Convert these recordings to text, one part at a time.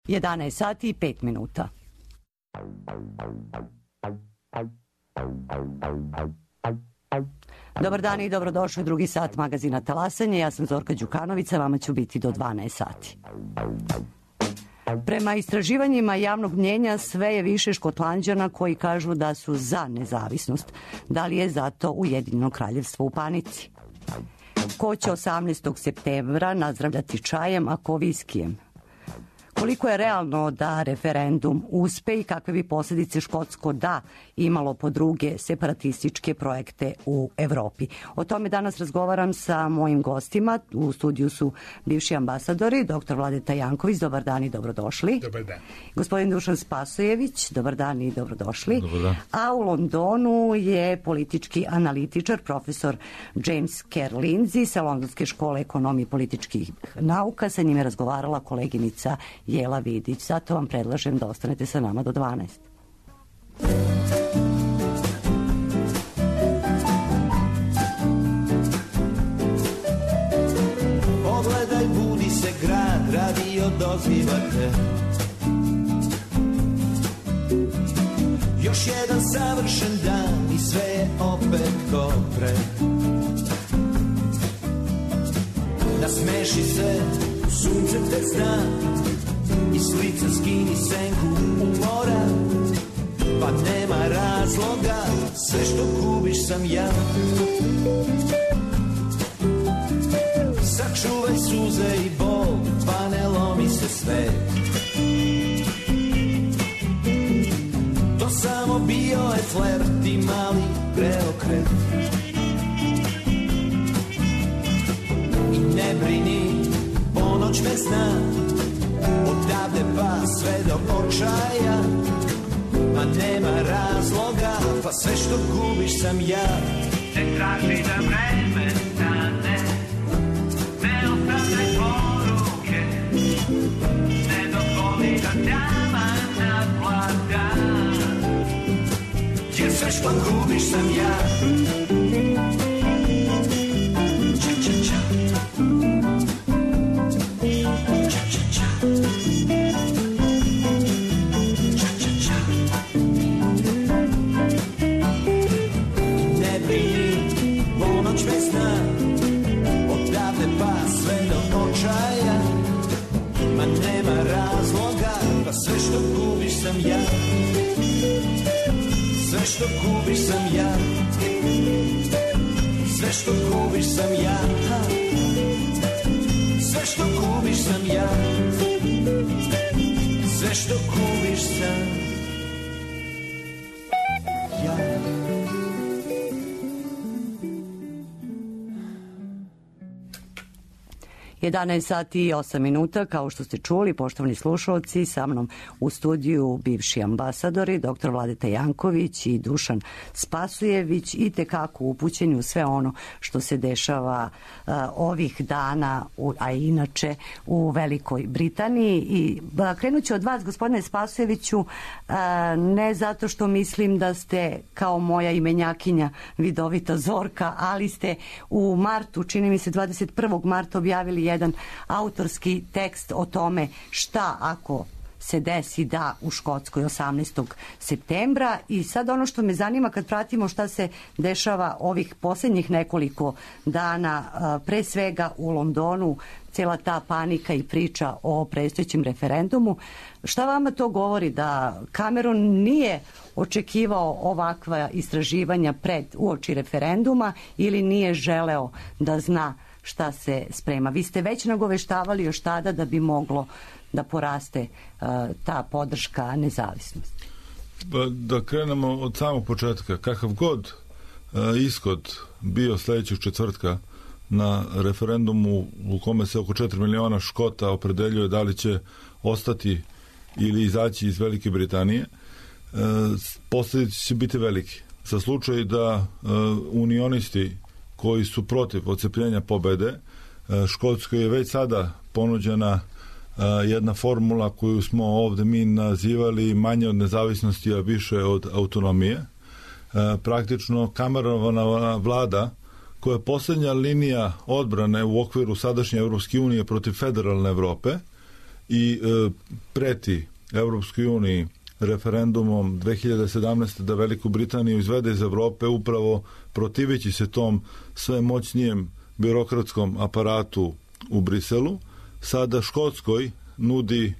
11 sati i 5 minuta. Dobar dan i dobrodošli u drugi sat magazina Talasanje. Ja sam Zorka Đukanović, vama ću biti do 12 sati. Prema istraživanjima javnog mnjenja sve je više Škotlanđana koji kažu da su za nezavisnost. Da li je zato Ujedinjeno kraljevstvo u panici? Ko će 18. septembra nazdravljati čajem, a ko viskijem? Koliko je realno da referendum uspe i kakve bi posljedice škotsko da imalo po druge separatističke projekte u Evropi? O tome danas razgovaram sa mojim gostima. U studiju su bivši ambasadori, dr. Vladeta Janković, dobar dan i dobrodošli. Dobar dan. Gospodin Dušan Spasojević, dobar dan i dobrodošli. Dobar dan. A u Londonu je politički analitičar, profesor James Kerr Lindsay sa Londonske škole ekonomije i političkih nauka. Sa njim je razgovarala koleginica Jela Vidić. Zato vam predlažem da ostanete sa nama do 12. Pogledaj, budi se grad, radio doziva te. Još jedan savršen dan i sve je opet ko pre. Nasmeši se, sunce te zna, i s lica skini senku u mora, pa nema razloga, sve što gubiš sam ja. Sačuvaj suze i bol, pa ne lomi se sve. To samo bio je flert i mali preokret. I ne brini, ponoć me zna, odavde pa sve do očaja, ma nema razloga, pa sve što gubiš sam ja. Ne traži da vreme stane, ne ostavljaj poruke, ne dozvoli da tama naplata, jer sve što gubiš sam ja. Sve što gubiš sam ja. Sve što gubiš sam ja. Sve što gubiš sam ja. Sve što gubiš sam ja. Sve što gubiš sam ja. 11 sati i 8 minuta, kao što ste čuli, poštovani slušalci, sa mnom u studiju bivši ambasadori, dr. Vladeta Janković i Dušan Spasojević, i tekako upućeni u sve ono što se dešava ovih dana, a inače u Velikoj Britaniji. I krenut ću od vas, gospodine Spasojeviću, ne zato što mislim da ste kao moja imenjakinja vidovita Zorka, ali ste u martu, čini mi se 21. marta, objavili jedan autorski tekst o tome šta ako se desi da u Škotskoj 18. septembra. I sad ono što me zanima, kad pratimo šta se dešava ovih posljednjih nekoliko dana, pre svega u Londonu, cijela ta panika i priča o predstojećem referendumu, šta vama to govori, da Cameron nije očekivao ovakva istraživanja uoči referenduma ili nije želeo da zna šta se sprema? Vi ste već nagoveštavali još tada da bi moglo da poraste ta podrška nezavisnosti. Da krenemo od samog početka. Kakav god ishod bio sljedećeg četvrtka na referendumu u kome se oko 4 miliona Škota opredeljuje da li će ostati ili izaći iz Velike Britanije, posljedice će biti veliki. Za slučaj da unionisti koji su protiv odcepljenja pobede, Škotskoj je već sada ponuđena jedna formula koju smo ovdje mi nazivali manje od nezavisnosti, a više od autonomije. Praktično Cameronova vlada, koja je posljednja linija odbrane u okviru sadašnje Europske unije protiv federalne Evrope i preti Evropskoj uniji referendumom 2017. da Veliku Britaniju izvede iz Evrope, upravo protiveći se tom sve moćnijem birokratskom aparatu u Briselu, sada Škotskoj nudi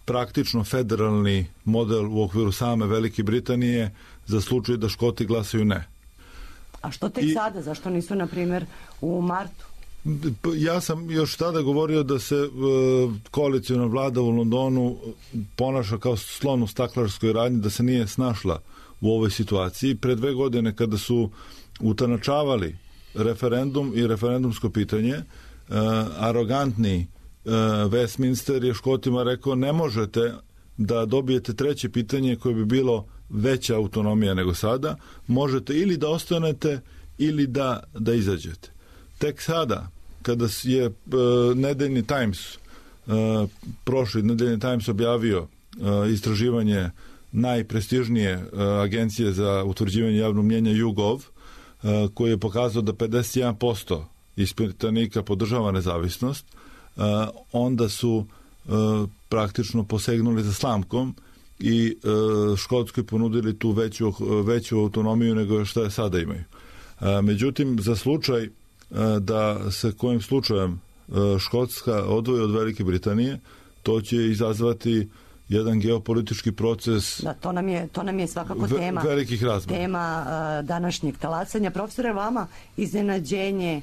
praktično federalni model u okviru same Velike Britanije za slučaj da Škoti glasaju ne. A što tek sada? Zašto nisu, na primjer, u martu? Ja sam još tada govorio da se koaliciona vlada u Londonu ponaša kao slon u staklarskoj radnji, da se nije snašla u ovoj situaciji. Pre 2 godine kada su utanačavali referendum i referendumsko pitanje, arogantni Westminster je Škotima rekao ne možete da dobijete treće pitanje koje bi bilo veća autonomija nego sada, možete ili da ostanete ili da izađete. Tek sada, kada je nedeljni Times, prošli nedeljni Times objavio istraživanje najprestižnije agencije za utvrđivanje javnog mnjenja YouGov, koji je pokazao da 51% ispitanika podržava nezavisnost, onda su praktično posegnuli za slamkom i Škotskoj ponudili tu veću autonomiju nego što je sada imaju. Međutim, za slučaj da se kojim slučajem Škotska odvoji od Velike Britanije, to će izazvati jedan geopolitički proces. Da, to nam je svakako tema velikih razmera. Tema današnjeg talasanja. Profesore, vama iznenađenje,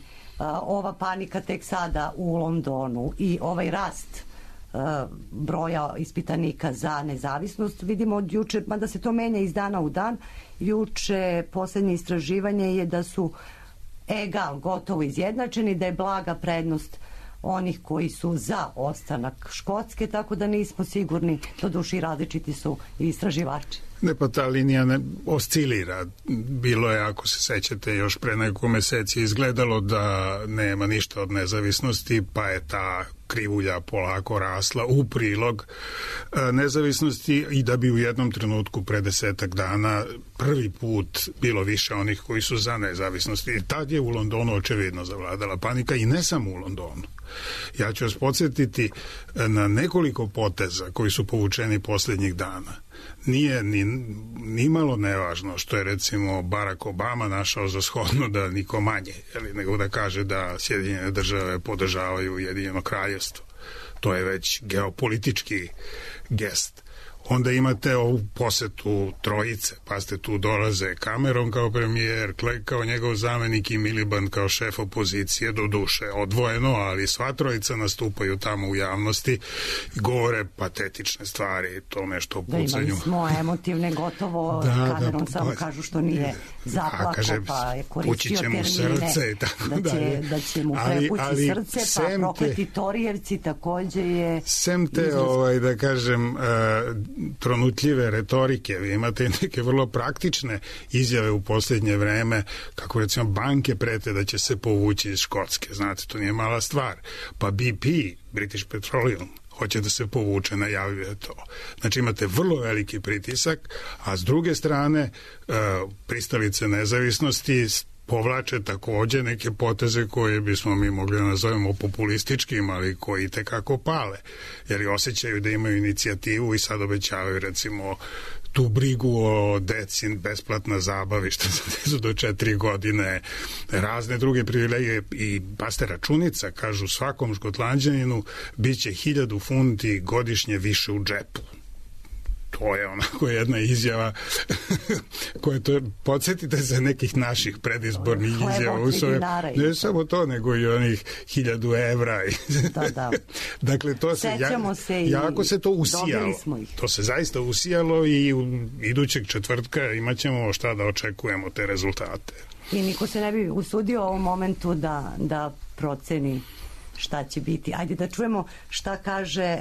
ova panika tek sada u Londonu i ovaj rast broja ispitanika za nezavisnost vidimo od juče, mada se to menja iz dana u dan. Juče posljednje istraživanje je da su gotovo izjednačeni, da je blaga prednost onih koji su za ostanak Škotske, tako da nismo sigurni, doduše različiti su i istraživači. Ne, pa ta linija ne oscilira. Bilo je, ako se sećate, još pre nekoliko meseci izgledalo da nema ništa od nezavisnosti, pa je ta krivulja polako rasla u prilog nezavisnosti i da bi u jednom trenutku pre 10 dana prvi put bilo više onih koji su za nezavisnost. I tad je u Londonu očevidno zavladala panika i ne samo u Londonu. Ja ću vas podsjetiti na nekoliko poteza koji su povučeni posljednjih dana. Nije ni malo nevažno što je recimo Barack Obama našao za shodno da niko manje, nego da kaže da Sjedinjene države podržavaju Ujedinjeno kraljevstvo. To je već geopolitički gest. Onda imate ovu posetu trojice, pa ste tu dolaze Cameron kao premijer, Clegg kao njegov zamenik i Miliband kao šef opozicije, do duše odvojeno, ali sva trojica nastupaju tamo u javnosti i govore patetične stvari, to nešto o pucanju. Da, imali smo emotivne gotovo, Cameron samo kažu što nije zaplako, pa je koristio termine da će mu prepući srce, pa prokleti Torijevci takođe je... Sem te, da kažem, tronutljive retorike, vi imate neke vrlo praktične izjave u posljednje vreme, kako recimo banke prete da će se povući iz Škotske, znate, to nije mala stvar, pa BP, British Petroleum, hoće da se povuče, najavljuje to. Znači imate vrlo veliki pritisak, a s druge strane pristalice nezavisnosti povlače takođe neke poteze koje bismo mi mogli da nazovemo populističkim, ali koji tekako pale, jer osjećaju da imaju inicijativu i sad obećavaju recimo tu brigu o deci, besplatna zabavi što se desu do 4 godine, razne druge privilegije i paste računica, kažu svakom Škotlanđaninu bit će 1000 funti godišnje više u džepu. To je onako jedna izjava koja to, podsjetite se nekih naših predizbornih izjava. Ne samo to, nego i onih 1000 evra. Da. Dakle, to se, jako se to usijalo. To se zaista usijalo i idućeg četvrtka imat ćemo šta da očekujemo te rezultate. I niko se ne bi usudio u ovom momentu da proceni šta će biti. Ajde da čujemo šta kaže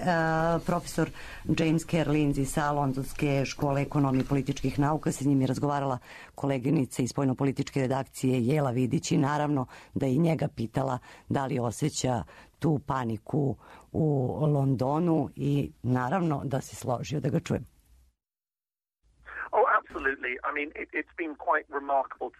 profesor James Kerr Lindsay sa Londonske škole ekonomije i političkih nauka. Sa njim je razgovarala koleginica iz spoljnopolitičke redakcije Jela Vidić i naravno da i njega pitala da li osjeća tu paniku u Londonu i naravno da se složio da ga čujem. Oh,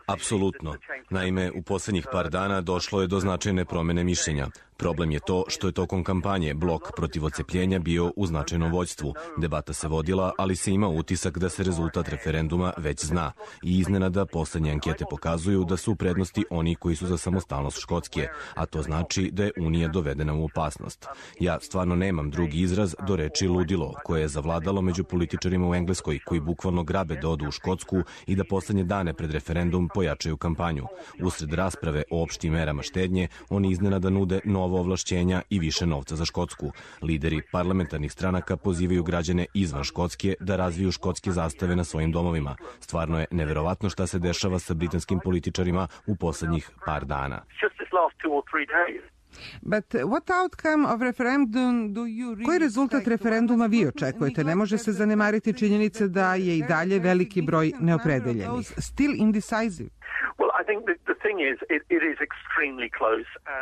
Apsolutno. Naime, u posljednjih par dana došlo je do značajne promjene mišljenja. Problem je to što je tokom kampanje blok protiv odcepljenja bio u značajnom vođstvu. Debata se vodila, ali se ima utisak da se rezultat referenduma već zna. I iznenada posljednje ankete pokazuju da su u prednosti oni koji su za samostalnost Škotske, a to znači da je Unija dovedena u opasnost. Ja stvarno nemam drugi izraz do reči ludilo, koje je zavladalo među političarima u Engleskoj, koji bukvalno grabe da odu u Škotsku i da poslednje dane pred referendum pojačaju kampanju. Usred rasprave o opštim merama štednje, oni iznenada nude novo ovlašćenja i više novca za Škotsku. Lideri parlamentarnih stranaka pozivaju građane izvan Škotske da razviju škotske zastave na svojim domovima. Stvarno je neverovatno šta se dešava sa britanskim političarima u poslednjih par dana. Koji rezultat referenduma vi očekujete? Ne može se zanemariti činjenice da je i dalje veliki broj neopredeljenih.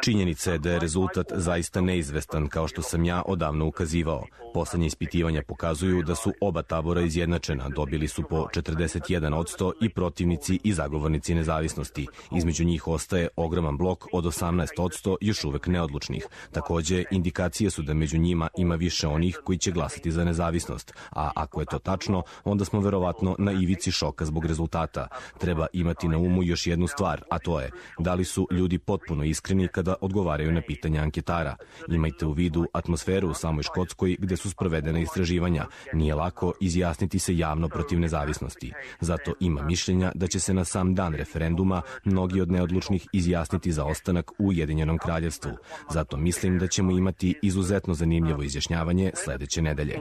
Činjenica je da je rezultat zaista neizvestan, kao što sam ja odavno ukazivao. Poslednje ispitivanja pokazuju da su oba tabora izjednačena, dobili su po 41% i protivnici i zagovornici nezavisnosti. Između njih ostaje ogroman blok od 18% još uvek neodlučnih. Takođe, indikacije su da među njima ima više onih koji će glasati za nezavisnost, a ako je to tačno, onda smo verovatno na ivici šoka zbog rezultata. Treba imati na umu još jednu stvar, a to je da li su ljudi potpuno iskreni kada odgovaraju na pitanja anketara. Imajte u vidu atmosferu u samoj Škotskoj gde su sprovedena istraživanja. Nije lako izjasniti se javno protiv nezavisnosti. Zato ima mišljenja da će se na sam dan referenduma mnogi od neodlučnih izjasniti za ostanak u Ujedinjenom kraljevstvu. Zato mislim da ćemo imati izuzetno zanimljivo izjašnjavanje sledeće nedelje.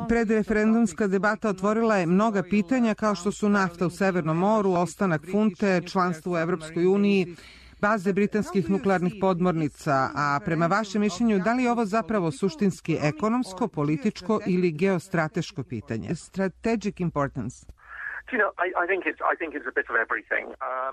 Predreferendumska debata otvorila je mnoga pitanja kao što su nafta u Severnom moru, ostanak funte, članstvo u Evropskoj uniji, baze britanskih nuklearnih podmornica, a prema vašem mišljenju, da li je ovo zapravo suštinski ekonomsko, političko ili geostrateško pitanje? Strategic importance.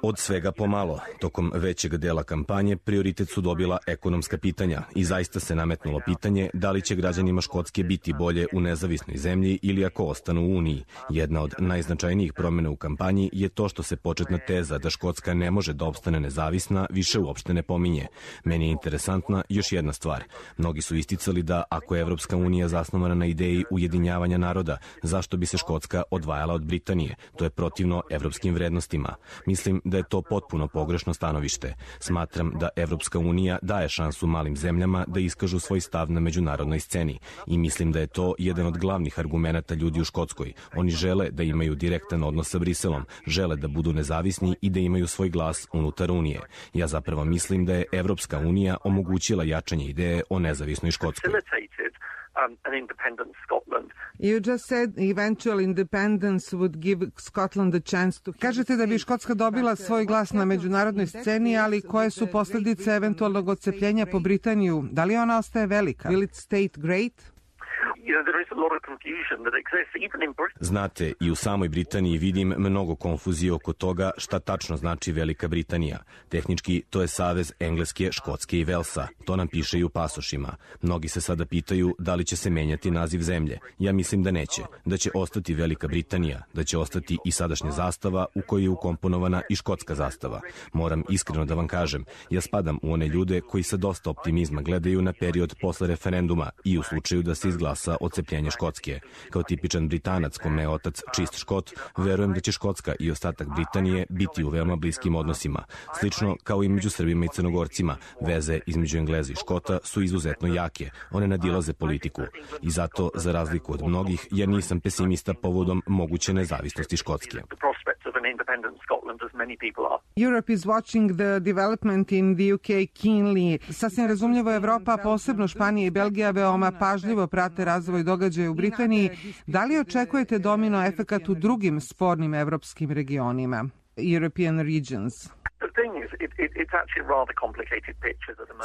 Od svega pomalo. Tokom većeg dela kampanje prioritet su dobila ekonomska pitanja i zaista se nametnulo pitanje da li će građanima Škotske biti bolje u nezavisnoj zemlji ili ako ostanu u Uniji. Jedna od najznačajnijih promjena u kampanji je to što se početna teza da Škotska ne može da opstane nezavisna više uopšte ne pominje. Meni je interesantna još jedna stvar. Mnogi su isticali da ako je Evropska unija zasnovana na ideji ujedinjavanja naroda, zašto bi se Škotska odvajala od Britanije? To je protivno evropskim vrednostima. Mislim da je to potpuno pogrešno stanovište. Smatram da Evropska unija daje šansu malim zemljama da iskažu svoj stav na međunarodnoj sceni i mislim da je to jedan od glavnih argumenata ljudi u Škotskoj. Oni žele da imaju direktan odnos sa Briselom, žele da budu nezavisni i da imaju svoj glas unutar Unije. Ja zapravo mislim da je Evropska unija omogućila jačanje ideje o nezavisnoj Škotskoj. An independent Scotland. You just said eventual independence would give Scotland a chance to... Kažete da bi Škotska dobila svoj glas na međunarodnoj sceni, ali koje su posljedice eventualnog odcepljenja po Britaniju? Da li ona ostaje velika? Will it stay great? Znate, i u samoj Britaniji vidim mnogo konfuzije oko toga šta tačno znači Velika Britanija. Tehnički, to je savez Engleske, Škotske i Velsa. To nam piše i u pasošima. Mnogi se sada pitaju da li će se menjati naziv zemlje. Ja mislim da neće. Da će ostati Velika Britanija. Da će ostati i sadašnja zastava u kojoj je ukomponovana i škotska zastava. Moram iskreno da vam kažem, ja spadam u one ljude koji sa dosta optimizma gledaju na period posle referenduma i u slučaju da se izglasa odcepljenje Škotske. Kao tipičan Britanac kome je otac čist Škot, verujem da će Škotska i ostatak Britanije biti u veoma bliskim odnosima. Slično kao i među Srbima i Crnogorcima, veze između Engleza i Škota su izuzetno jake. One nadilaze politiku. I zato, za razliku od mnogih, ja nisam pesimista povodom moguće nezavisnosti Škotske. Europe is watching the development in the UK keenly. Sasvim razumljivo, Evropa, posebno Španija i Belgija, veoma pažljivo prate razvoj događaja u Britaniji. Da li očekujete domino efekat u drugim spornim evropskim regionima? European regions.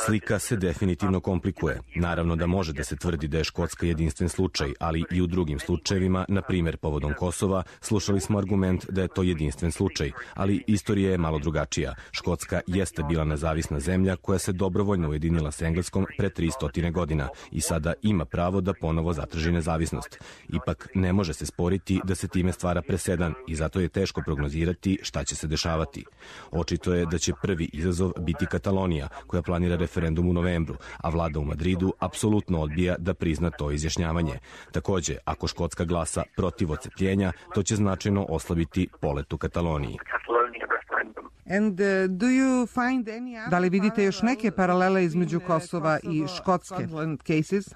Slika se definitivno komplikuje. Naravno da može da se tvrdi da je Škotska jedinstven slučaj, ali i u drugim slučajevima, na primjer povodom Kosova, slušali smo argument da je to jedinstven slučaj, ali istorija je malo drugačija. Škotska jeste bila nezavisna zemlja koja se dobrovoljno ujedinila s Engleskom pre 300 godina i sada ima pravo da ponovo zatraži nezavisnost. Ipak ne može se sporiti da se time stvara presedan i zato je teško prognozirati šta će se dešavati. Očito je da će prvi izazov biti Katalonija, koja planira referendum u novembru, a vlada u Madridu apsolutno odbija da prizna to izjašnjavanje. Takođe, ako Škotska glasa protiv odcepljenja, to će značajno oslabiti polet u Kataloniji. Da li vidite još neke paralele između Kosova i Škotske cases?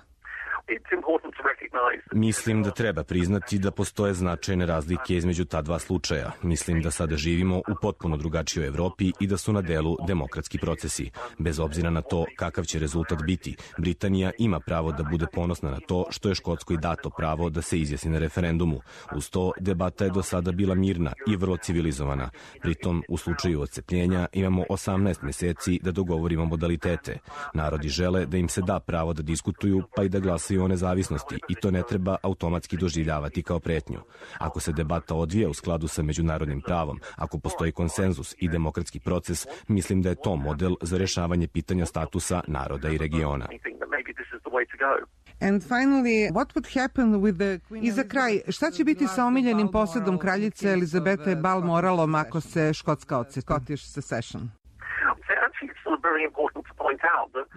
Mislim da treba priznati da postoje značajne razlike između ta dva slučaja. Mislim da sada živimo u potpuno drugačijoj Evropi i da su na delu demokratski procesi. Bez obzira na to kakav će rezultat biti, Britanija ima pravo da bude ponosna na to što je Škotskoj dato pravo da se izjasni na referendumu. Uz to, debata je do sada bila mirna i vrlo civilizovana. Pritom, u slučaju odcepljenja imamo 18 meseci da dogovorimo modalitete. Narodi žele da im se da pravo da diskutuju, pa i da glasaju o nezavisnosti i to ne treba automatski doživljavati kao pretnju. Ako se debata odvija u skladu sa međunarodnim pravom, ako postoji konsenzus i demokratski proces, mislim da je to model za rešavanje pitanja statusa naroda i regiona. I za kraj, šta će biti sa omiljenim posedom kraljice Elizabete Balmoralom ako se Škotska odcepi? Scottish secession.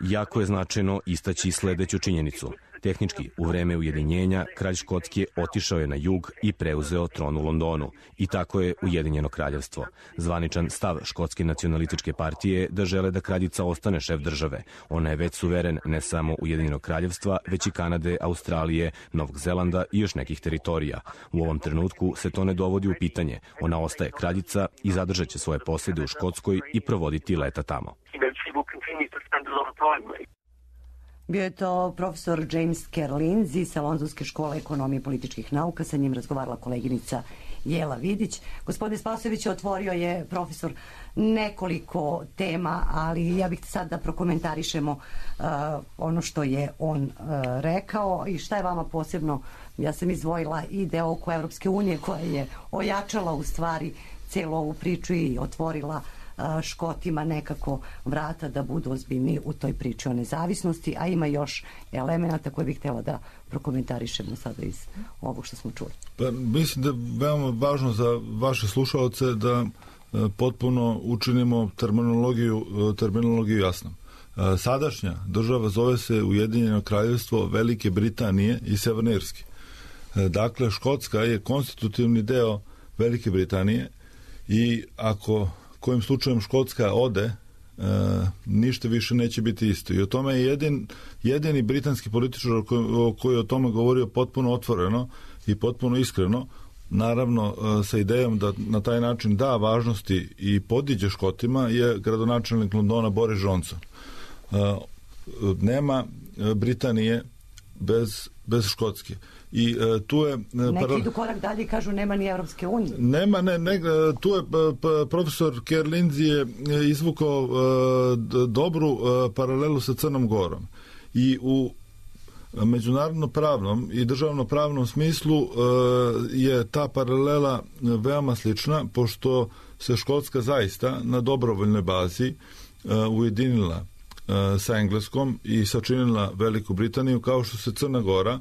Jako je značajno istaći sledeću činjenicu. Tehnički, u vreme ujedinjenja, kralj Škotske otišao je na jug i preuzeo tron u Londonu. I tako je Ujedinjeno kraljevstvo. Zvaničan stav Škotske nacionalističke partije je da žele da kraljica ostane šef države. Ona je već suveren ne samo Ujedinjenog kraljevstva, već i Kanade, Australije, Novog Zelanda i još nekih teritorija. U ovom trenutku se to ne dovodi u pitanje. Ona ostaje kraljica i zadržat će svoje posede u Škotskoj i provoditi leta tamo. Bio je to profesor James Kerr-Lindsay sa Londonske škole ekonomije i političkih nauka. Sa njim razgovarala koleginica Jela Vidić. Gospodin Spasojević otvorio je, profesor, nekoliko tema, ali ja bih sad da prokomentarišemo ono što je on rekao i šta je vama posebno. Ja sam izdvojila i deo oko Evropske unije koja je ojačala u stvari celu ovu priču i otvorila Škotima nekako vrata da budu ozbiljni u toj priči o nezavisnosti, a ima još elemenata koje bih htjela da prokomentarišemo sada iz ovog što smo čuli. Pa, mislim da je veoma važno za vaše slušalce da potpuno učinimo terminologiju jasnom. Sadašnja država zove se Ujedinjeno kraljevstvo Velike Britanije i Severne Irske. Dakle, Škotska je konstitutivni deo Velike Britanije i ako kojim slučajem Škotska ode, ništa više neće biti isto. I o tome je jedini britanski političar koji je o tome govorio potpuno otvoreno i potpuno iskreno, naravno sa idejom da na taj način da važnosti i podiđe Škotima, je gradonačelnik Londona Boris Johnson. Nema Britanije bez Škotske. I tu je neki idu korak dalje i kažu nema ni Evropske unije. Tu je profesor Kerr-Lindsay je izvukao dobru paralelu sa Crnom Gorom. I u međunarodno pravnom i državno pravnom smislu je ta paralela veoma slična, pošto se Škotska zaista na dobrovoljnoj bazi ujedinila sa Engleskom i sačinila Veliku Britaniju, kao što se Crna Gora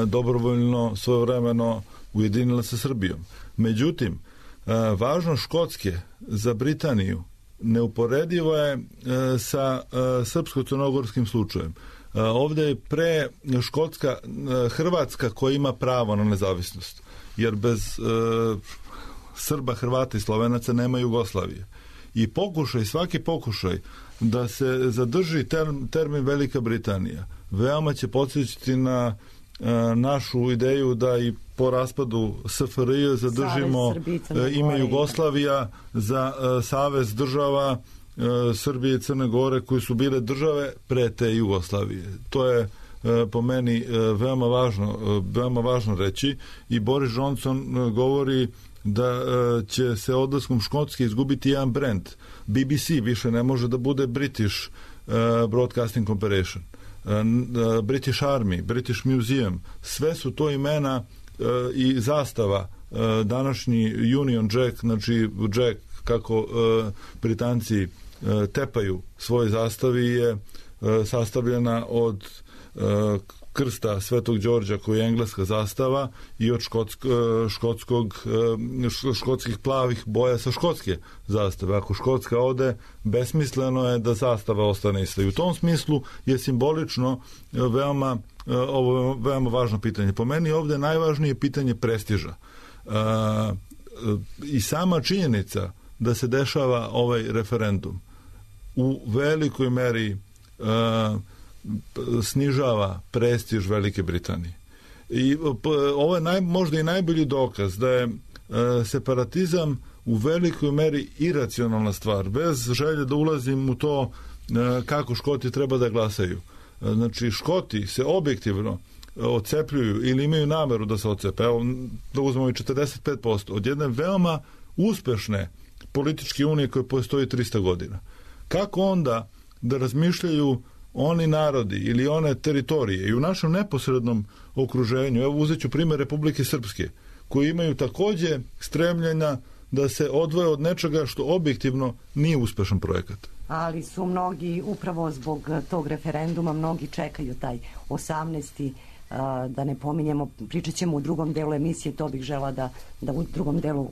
dobrovoljno svojevremeno ujedinila sa Srbijom. Međutim, važnost Škotske za Britaniju neuporediva je sa srpsko-crnogorskim slučajem. Ovde je pre Škotska Hrvatska koja ima pravo na nezavisnost, jer bez Srba, Hrvata i Slovenaca nema Jugoslavije. I svaki pokušaj da se zadrži termin Velika Britanija veoma će podsjećati na našu ideju da i po raspadu SFRJ zadržimo ime Jugoslavija za savez država Srbije i Crne Gore koji su bile države pre te Jugoslavije. To je po meni veoma važno reći i Boris Johnson govori da će se odlaskom Škotske izgubiti jedan brand. BBC više ne može da bude British Broadcasting Corporation, British Army, British Museum, sve su to imena i zastava. Današnji Union Jack, znači Jack kako Britanci tepaju svoj zastavi, je sastavljena od krsta Svetog Đorđa koji je engleska zastava i od škotskih plavih boja sa škotske zastave. Ako Škotska ode, besmisleno je da zastava ostane ista. I u tom smislu je simbolično veoma važno pitanje. Po meni ovde najvažnije pitanje prestiža. I sama činjenica da se dešava ovaj referendum u velikoj meri snižava prestiž Velike Britanije. I ovo je možda i najbolji dokaz da je separatizam u velikoj meri iracionalna stvar, bez želje da ulazim u to kako Škoti treba da glasaju. Znači, Škoti se objektivno odcepljuju ili imaju nameru da se odcepe. Evo, da uzmemo i 45% od jedne veoma uspešne političke unije koje postoji 300 godina. Kako onda da razmišljaju oni narodi ili one teritorije i u našem neposrednom okruženju, evo uzet ću primjer Republike Srpske, koji imaju takođe stremljenja da se odvoje od nečega što objektivno nije uspešan projekat. Ali su mnogi, upravo zbog tog referenduma, mnogi čekaju taj 18. Da ne pominjemo, pričat ćemo u drugom delu emisije, to bih žela da u drugom delu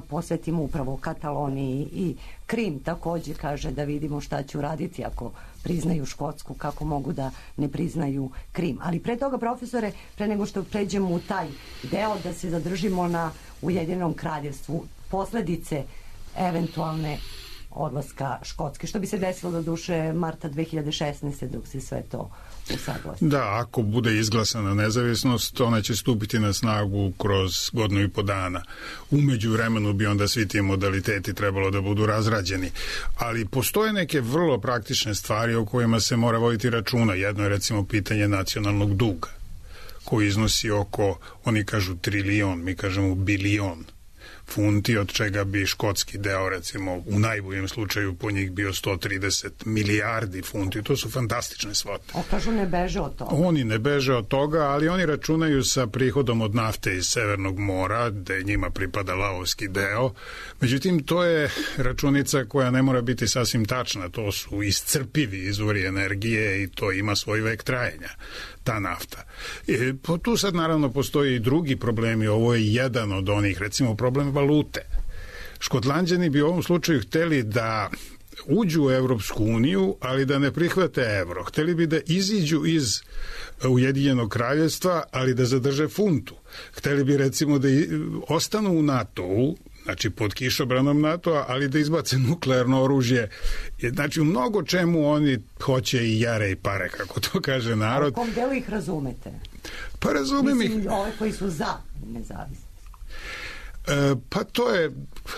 posvetimo upravo Kataloniji i Krim takođe, kaže, da vidimo šta će uraditi ako priznaju Škotsku, kako mogu da ne priznaju Krim. Ali pre toga, profesore, pre nego što pređemo u taj deo, da se zadržimo na Ujedinjenom kraljevstvu, posledice eventualne odlaska Škotske, što bi se desilo do duše marta 2016. dok se sve to usaglasi. Da, ako bude izglasana nezavisnost, ona će stupiti na snagu kroz godinu i po dana. Umeđu vremenu bi onda svi ti modaliteti trebalo da budu razrađeni. Ali postoje neke vrlo praktične stvari o kojima se mora voditi računa. Jedno je recimo pitanje nacionalnog duga, koji iznosi oko, oni kažu trilion, mi kažemo bilion funti, od čega bi škotski deo, recimo, u najboljem slučaju po njih bio 130 milijardi funti. To su fantastične svote. Kažu ne beže od toga. Oni ne beže od toga, ali oni računaju sa prihodom od nafte iz Severnog mora, gde njima pripada lavovski deo. Međutim, to je računica koja ne mora biti sasvim tačna. To su iscrpivi izvori energije i to ima svoj vek trajanja, ta nafta. Tu sad naravno postoji i drugi problemi. Ovo je jedan od onih, recimo problem valute. Škotlanđani bi u ovom slučaju hteli da uđu u Evropsku uniju, ali da ne prihvate evro. Hteli bi da iziđu iz Ujedinjenog kraljevstva, ali da zadrže funtu. Hteli bi recimo da ostanu u NATO-u, znači pod kišobranom NATO-a, ali da izbace nuklearno oružje. Znači u mnogo čemu oni hoće i jare i pare, kako to kaže narod. A u kom delu ih razumete? Pa razumem ih. Mislim, ove koji su za nezavisnost. Pa to je,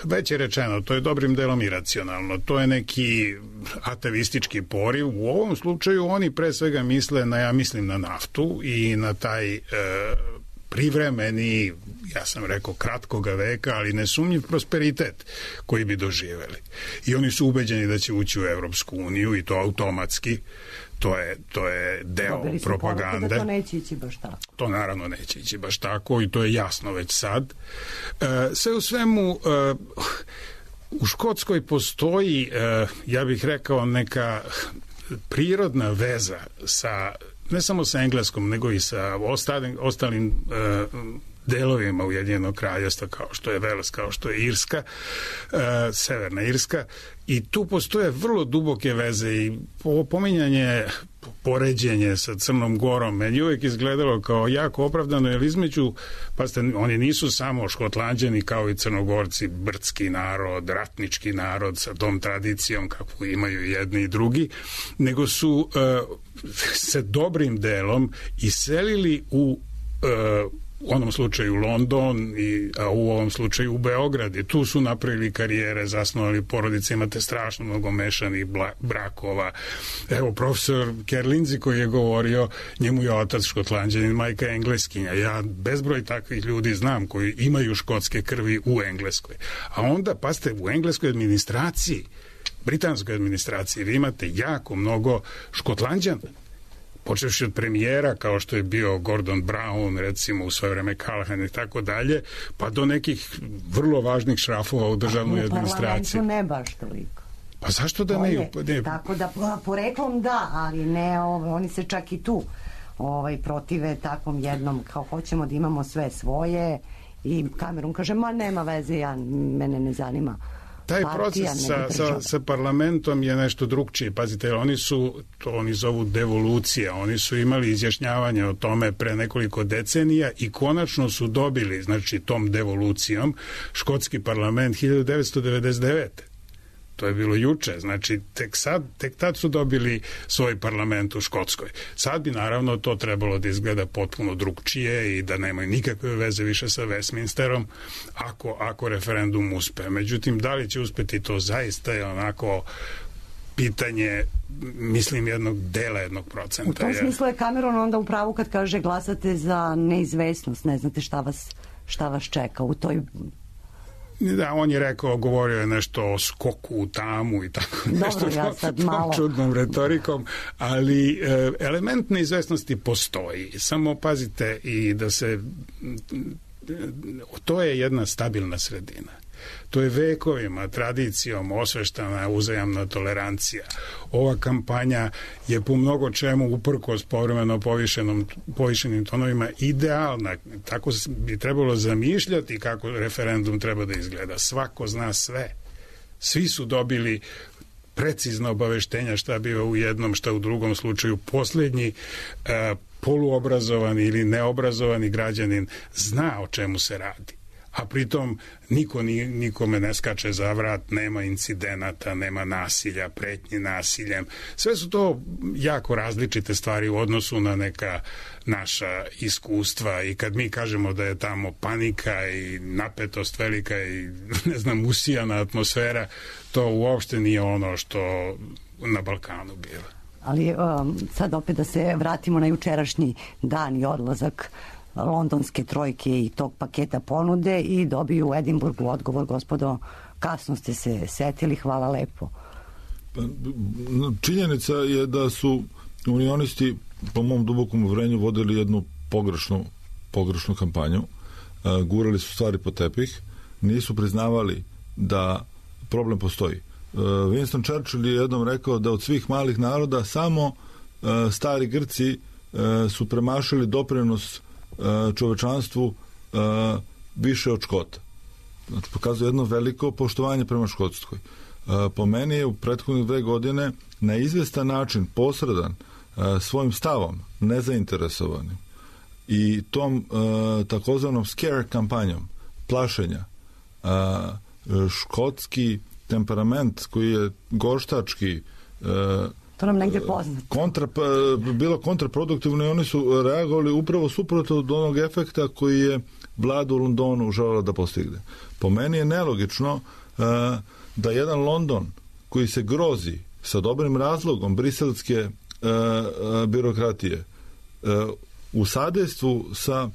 već je rečeno, to je dobrim delom iracionalno. To je neki ateistički poriv. U ovom slučaju oni pre svega misle ja mislim na naftu i na taj privremeni, ja sam rekao kratkoga veka, ali nesumnjiv prosperitet koji bi doživeli. I oni su ubeđeni da će ući u Evropsku uniju i to automatski. To je deo propagande. Da to neće ići baš tako. To naravno neće ići baš tako i to je jasno već sad. Sve u svemu, u Škotskoj postoji, ja bih rekao, neka prirodna veza sa, ne samo sa Engleskom, nego i sa ostalim delovima Ujedinjenog kraljevstva, kao što je Vels, kao što je Irska, Severna Irska, i tu postoje vrlo duboke veze i pominjanje, poređenje sa Crnom Gorom meni uvijek izgledalo kao jako opravdano, jer između, pazite, oni nisu samo Škotlanđani kao i Crnogorci, brdski narod, ratnički narod sa tom tradicijom kakvu imaju jedni i drugi, nego su se dobrim delom iselili u u onom slučaju London, a u ovom slučaju u Beograd. I tu su napravili karijere, zasnovali porodice, imate strašno mnogo mešanih brakova. Evo, profesor Kerlinzi koji je govorio, njemu je otac Škotlanđanin, majka Engleskinja. Ja bezbroj takvih ljudi znam koji imaju škotske krvi u Engleskoj. A onda, pazite, u engleskoj administraciji, britanskoj administraciji, vi imate jako mnogo Škotlanđana. Počevši od premijera, kao što je bio Gordon Brown, recimo u svoje vreme Callaghan i tako dalje, pa do nekih vrlo važnih šrafova u državnoj administraciji. U parlamentu ne baš toliko. Pa zašto da ne? Tako da poreklom da, ali ne, oni se čak i tu protive takvom jednom, kao hoćemo da imamo sve svoje, i Cameron kaže, ma nema veze, mene ne zanima. Taj proces sa parlamentom je nešto drugčije. Pazite, oni zovu devolucija. Oni su imali izjašnjavanje o tome pre nekoliko decenija i konačno su dobili, znači tom devolucijom, škotski parlament 1999. To je bilo juče, znači tek tad su dobili svoj parlament u Škotskoj. Sad bi naravno to trebalo da izgleda potpuno drugčije i da nemaju nikakve veze više sa Westminsterom ako referendum uspe. Međutim, da li će uspeti, to zaista je onako pitanje, mislim, jednog dela, 1%. U tom smislu je Cameron onda u pravu kad kaže glasate za neizvesnost, ne znate šta vas čeka u toj... Da, on je rekao, govorio je nešto o skoku u tamu i tako nešto. Dobro, ja sad malo... čudnom retorikom, ali element neizvesnosti postoji. Samo pazite i da se... To je jedna stabilna sredina. To je vekovima, tradicijom osveštana uzajamna tolerancija. Ova kampanja je po mnogo čemu uprkos povremeno povišenim tonovima idealna. Tako bi trebalo zamišljati kako referendum treba da izgleda. Svako zna sve. Svi su dobili precizno obaveštenja šta biva u jednom, šta u drugom slučaju. Poslednji poluobrazovani ili neobrazovani građanin zna o čemu se radi. A pritom nikome ne skače za vrat, nema incidenata, nema nasilja, pretnji nasiljem. Sve su to jako različite stvari u odnosu na neka naša iskustva i kad mi kažemo da je tamo panika i napetost velika i usijana atmosfera, to uopšte nije ono što na Balkanu biva. Ali sad opet da se vratimo na jučerašnji dan i odlazak londonske trojke i tog paketa ponude i dobiju u Edinburgu odgovor, gospodo, kasno ste se setili, hvala lepo. Činjenica je da su unionisti po mom dubokom uvrenju vodili jednu pogrešnu kampanju, gurali su stvari po tepih, nisu priznavali da problem postoji. Winston Churchill je jednom rekao da od svih malih naroda samo stari Grci su premašili doprinos čovečanstvu više od Škota. Znači, pokazuje jedno veliko poštovanje prema Škotskoj. Po meni je u prethodnih 2 godine na izvestan način posredan svojim stavom, nezainteresovanim i tom takozvanom scare kampanjom, plašenja, škotski temperament koji je gorštački, to nam negdje poznato. Bilo kontraproduktivno i oni su reagovali upravo suprotno od onog efekta koji je vlada u Londonu želela da postigne. Po meni je nelogično da jedan London koji se grozi sa dobrim razlogom briselske birokratije u sadejstvu sa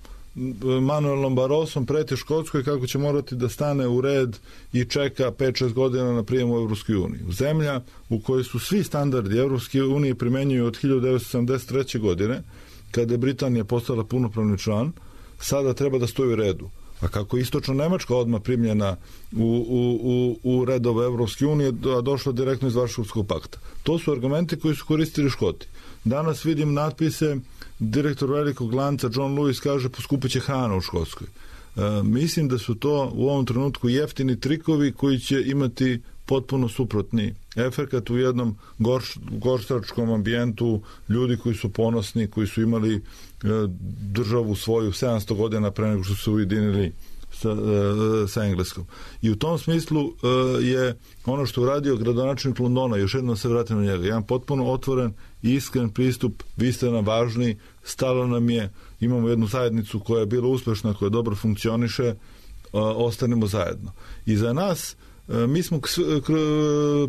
Manuelom Barrosom preti Škotskoj kako će morati da stane u red i čeka 5-6 godina na prijem u Evropskoj uniji. Zemlja u kojoj su svi standardi Evropske unije primenjuju od 1973. godine, kada je Britanija postala punopravni član, sada treba da stoji u redu. A kako je istočno Nemačka odmah primljena u redove Evropske unije, a došla direktno iz Varšavskog pakta. To su argumenti koji su koristili Škoti. Danas vidim natpise, direktor velikog lanca John Lewis kaže poskupeće hrana u Škotskoj. Mislim da su to u ovom trenutku jeftini trikovi koji će imati potpuno suprotni efekat u jednom gorštačkom ambijentu, ljudi koji su ponosni, koji su imali državu svoju 700 godina pre nego što su ujedinili sa Engleskom. I u tom smislu je ono što uradio gradonačelnik Londona, još jednom se vratim na njega, jedan potpuno otvoren iskren pristup, vi ste nam važni, stalo nam je, imamo jednu zajednicu koja je bila uspešna, koja dobro funkcioniše, ostanemo zajedno. I za nas, mi smo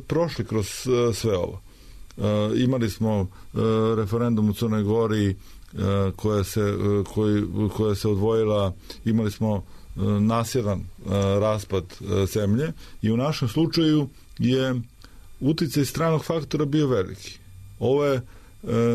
prošli kroz sve ovo. Imali smo referendum u Crnoj Gori koja se odvojila, imali smo nasiljan raspad zemlje i u našem slučaju je uticaj stranog faktora bio veliki.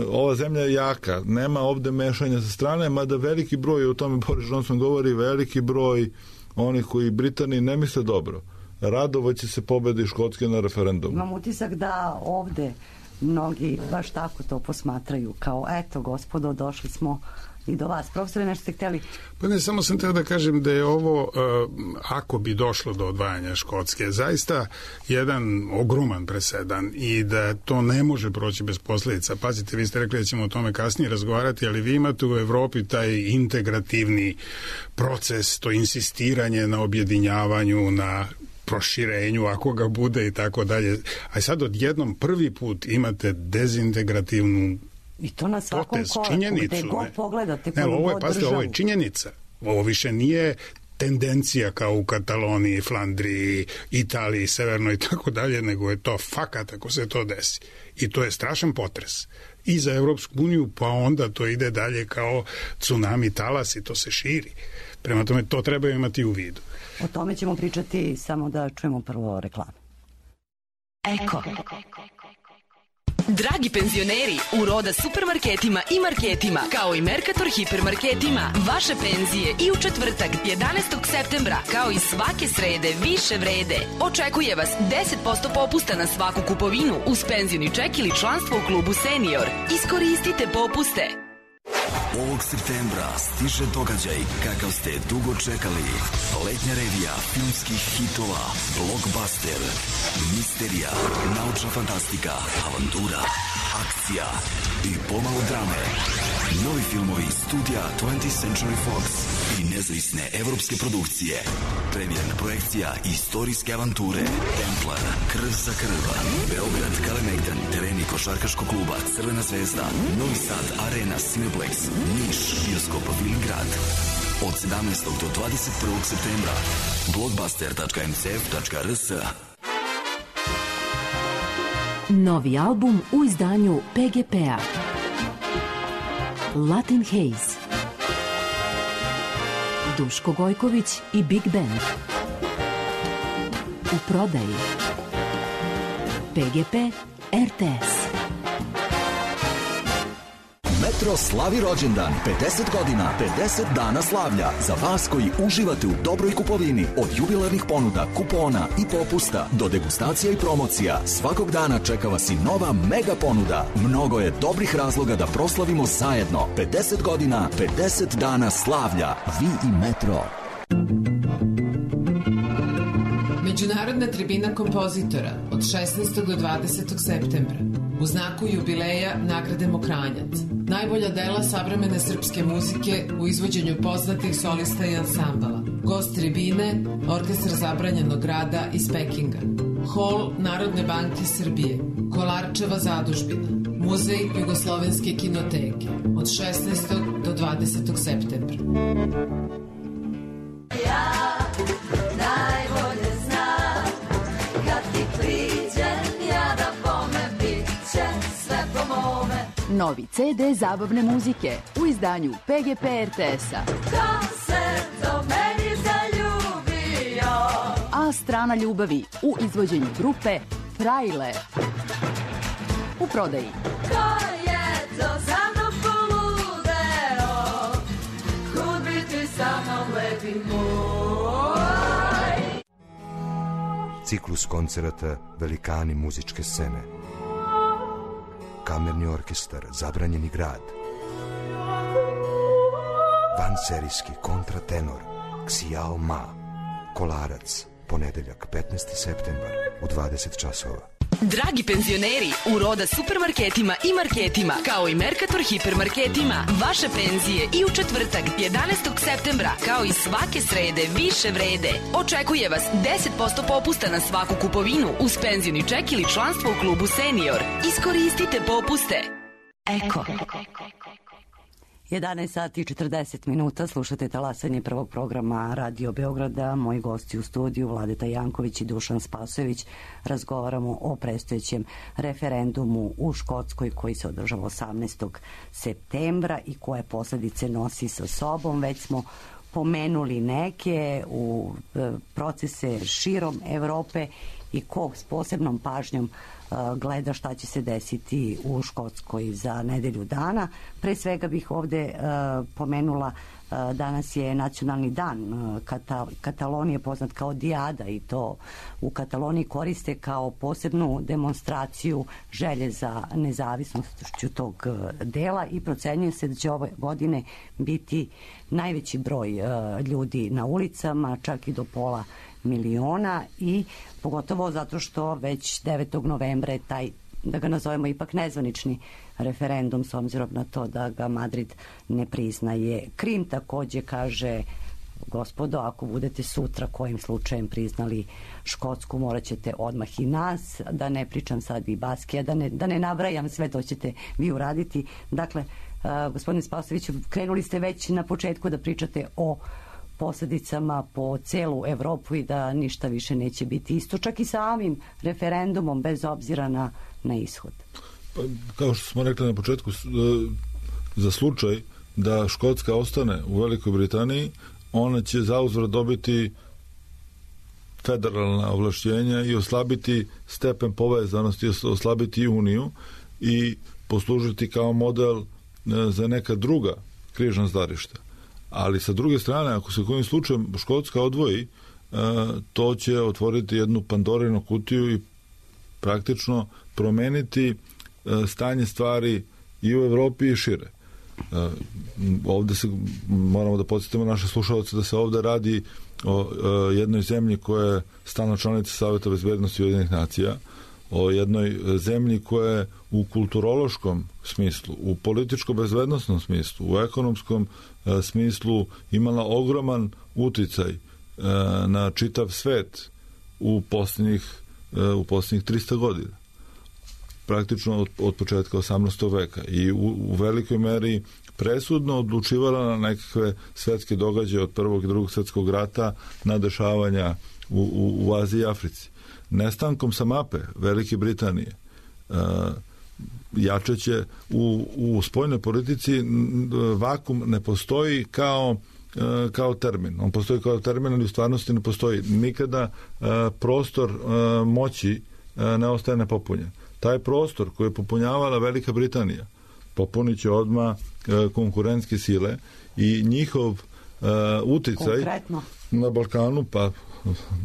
Ova zemlja je jaka, nema ovde mešanja sa strane, mada veliki broj, o tome Boris Johnson govori, veliki broj onih koji Britaniji ne misle dobro, radovaće se pobedi Škotske na referendumu. Imam utisak da ovde mnogi baš tako to posmatraju, kao eto gospodo, došli smo i do vas. Profesore, nešto ste hteli? Pa ne, samo sam teo da kažem da je ovo, ako bi došlo do odvajanja Škotske, zaista jedan ogroman presedan i da to ne može proći bez posljedica. Pazite, vi ste rekli da ćemo o tome kasnije razgovarati, ali vi imate u Evropi taj integrativni proces, to insistiranje na objedinjavanju, na proširenju, ako ga bude i tako dalje. A sad odjednom prvi put imate dezintegrativnu i to na svakom koraku, gde god pogledate, ovo je činjenica. Ovo više nije tendencija kao u Kataloniji, Flandriji, Italiji, Severnoj i tako dalje, nego je to fakat ako se to desi. I to je strašan potres. I za Evropsku uniju, pa onda to ide dalje kao tsunami, talas i to se širi. Prema tome, to treba imati u vidu. O tome ćemo pričati, samo da čujemo prvo reklamu. Eko. Dragi penzioneri, u Roda supermarketima i marketima, kao i Mercator hipermarketima, vaše penzije i u četvrtak 11. septembra, kao i svake srede, više vrede. Očekuje vas 10% popusta na svaku kupovinu uz penzioni ček ili članstvo u klubu Senior. Iskoristite popuste. Ovog septembra stiže događaj kakav ste dugo čekali. Letnja revija filmskih hitova, blockbuster, misterija, naučna fantastika, avantura, akcija i pomalo drame. Novi filmovi studija 20th Century Fox i nezavisne evropske produkcije. Premijerna projekcija istorijske avanture Templar, Krv za krv, Beograd, Kalemegdan, tereni košarkaškog kluba Crvena zvezda, Novi Sad, Arena, Cineplex, Niš, bioskop Vilingrad. Od 17. do 21. septembra. blockbuster.mcf.rs. Novi album u izdanju PGP-a. Latin Haze. Duško Gojković i Big Band. U prodaji. PGP RTS. Metro slavi rođendan, 50 godina, 50 dana slavlja. Za vas koji uživate u dobroj kupovini, od jubilarnih ponuda, kupona i popusta do degustacija i promocija, svakog dana čeka vas i nova mega ponuda. Mnogo je dobrih razloga da proslavimo zajedno. 50 godina, 50 dana slavlja. Vi i Metro. Međunarodna tribina kompozitora od 16. do 20. septembra. U znaku jubileja nagrademo Kranjac. Najbolja dela savremene srpske muzike u izvođenju poznatih solista i ansambala. Gost tribine, Orkestar zabranjenog rada iz Pekinga. Hol Narodne banke Srbije. Kolarčeva zadužbina. Muzej Jugoslovenske kinoteke. Od 16. do 20. septembra. Ja najbolje znam kad ti priđem ja da bome bit će sve po mome. Novi CD zabavne muzike u izdanju PGP RTS-a. Ko se do meni zaljubio? A strana ljubavi u izvođenju grupe Trailer. U prodaji. Ko je to za mnom poludeo? Kud bi ti sa mnom lepi moj? Ciklus koncerata Velikani muzičke scene. Kamerni orkestar Zabranjeni grad. Vanserijski kontratenor Xiao Ma. Kolarac, ponedeljak 15. septembar u 20 časova. Dragi penzioneri, u Roda supermarketima i marketima, kao i Mercator hipermarketima, vaše penzije i u četvrtak 11. septembra, kao i svake srede, više vrede. Očekuje vas 10% popusta na svaku kupovinu uz penzioni ček ili članstvo u klubu Senior. Iskoristite popuste. Eko. 11 sati i 40 minuta, slušate talasanje prvog programa Radio Beograda. Moji gosti u studiju, Vladeta Janković i Dušan Spasojević, razgovaramo o predstojećem referendumu u Škotskoj koji se održava 18. septembra i koje posledice nosi sa sobom. Već smo pomenuli neke u procese širom Evrope i ko s posebnom pažnjom gleda šta će se desiti u Škotskoj za nedelju dana. Pre svega bih ovde pomenula, danas je nacionalni dan Katalonije, poznat kao Diada, i to u Kataloniji koriste kao posebnu demonstraciju želje za nezavisnošću tog dela i procenjuje se da će ove godine biti najveći broj ljudi na ulicama, čak i do pola miliona, i pogotovo zato što već 9. novembra je taj, da ga nazovemo ipak nezvanični referendum, s obzirom na to da ga Madrid ne priznaje. Krim takođe kaže, gospodo, ako budete sutra kojim slučajem priznali Škotsku, morat ćete odmah i nas, da ne pričam sad i Baskija, da ne nabrajam sve, to ćete vi uraditi. Dakle, gospodine Spasojeviću, krenuli ste već na početku da pričate o posledicama po celu Evropu i da ništa više neće biti isto, čak i samim referendumom, bez obzira na ishod. Pa, kao što smo rekli na početku, za slučaj da Škotska ostane u Velikoj Britaniji, ona će zauzvrat dobiti federalna ovlašćenja i oslabiti stepen povezanosti, oslabiti Uniju i poslužiti kao model za neka druga križna zdarišta. Ali sa druge strane, ako se kojim slučajem Škotska odvoji, to će otvoriti jednu Pandorinu kutiju i praktično promeniti stanje stvari i u Evropi i šire. Ovde se moramo da podsjetimo naše slušalce da se ovde radi o jednoj zemlji koja je stalna članica Saveta bezbednosti Ujedinjenih nacija, o jednoj zemlji koja je u kulturološkom smislu, u političko-bezbednosnom smislu, u ekonomskom smislu imala ogroman uticaj na čitav svet u posljednjih 300 godina. Praktično od početka 18. veka i u velikoj meri presudno odlučivala na nekakve svetske događaje od Prvog i Drugog svjetskog rata na dešavanja u Aziji i Africi. Nestankom sa mape Velike Britanije jačeće u spoljnoj politici vakum ne postoji kao termin. On postoji kao termin, ali u stvarnosti ne postoji. Nikada prostor moći ne ostaje nepopunjen. Taj prostor koji je popunjavala Velika Britanija popunit će odmah konkurentske sile i njihov uticaj konkretno na Balkanu, pa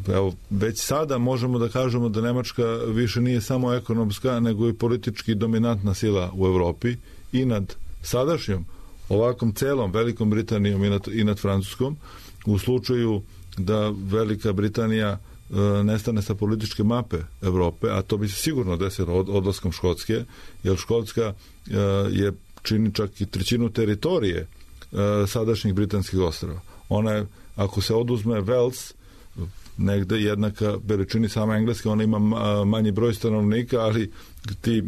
evo, već sada možemo da kažemo da Nemačka više nije samo ekonomska, nego i politički dominantna sila u Evropi i nad sadašnjom ovakvom celom Velikom Britanijom i nad Francuskom. U slučaju da Velika Britanija nestane sa političke mape Evrope, a to bi se sigurno desilo odlaskom Škotske, jer Škotska je čini čak i trećinu teritorije sadašnjih britanskih ostrava. Ona je, ako se oduzme Wales, negde jednaka veličini sama Engleska, ona ima manji broj stanovnika, ali ti